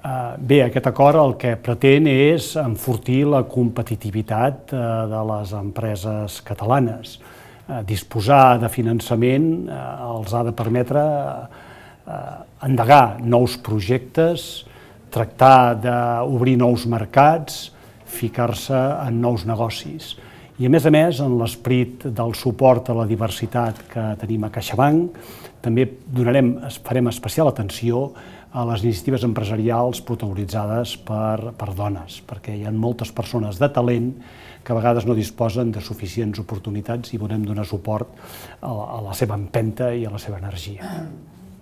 Bé, aquest acord el que pretén és enfortir la competitivitat de les empreses catalanes. Disposar de finançament els ha de permetre endegar nous projectes, tractar d'obrir nous mercats, ficar-se en nous negocis. I a més, en l'esperit del suport a la diversitat que tenim a CaixaBank, també farem especial atenció a les iniciatives empresarials protagonitzades per dones, perquè hi ha moltes persones de talent que a vegades no disposen de suficients oportunitats i volem donar suport a la seva empenta i a la seva energia.